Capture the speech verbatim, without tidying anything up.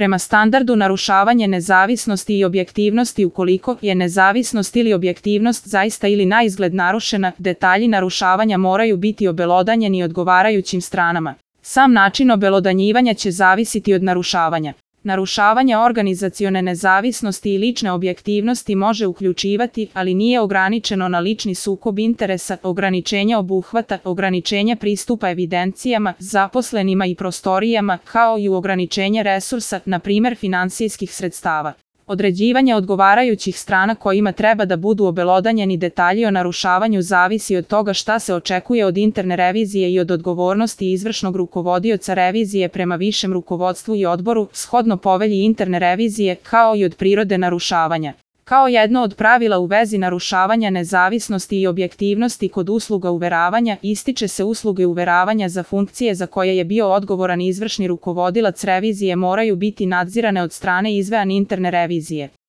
Prema standardu narušavanje nezavisnosti i objektivnosti. Ukoliko je nezavisnost ili objektivnost zaista ili naizgled narušena, detalji narušavanja moraju biti obelodanjeni odgovarajućim stranama. Sam način obelodanjivanja će zavisiti od narušavanja. Narušavanje organizacione nezavisnosti i lične objektivnosti može uključivati, ali nije ograničeno na lični sukob interesa, ograničenje obuhvata, ograničenje pristupa evidencijama, zaposlenima i prostorijama, kao i ograničenje resursa, na primjer finansijskih sredstava. Određivanje odgovarajućih strana kojima treba da budu obelodanjeni detalji o narušavanju zavisi od toga šta se očekuje od interne revizije i od odgovornosti izvršnog rukovodioca revizije prema višem rukovodstvu i odboru, shodno povelji interne revizije, kao i od prirode narušavanja. Kao jedno od pravila u vezi narušavanja nezavisnosti i objektivnosti kod usluga uveravanja, ističe se usluge uveravanja za funkcije za koje je bio odgovoran izvršni rukovodilac revizije moraju biti nadzirane od strane izvean interne revizije.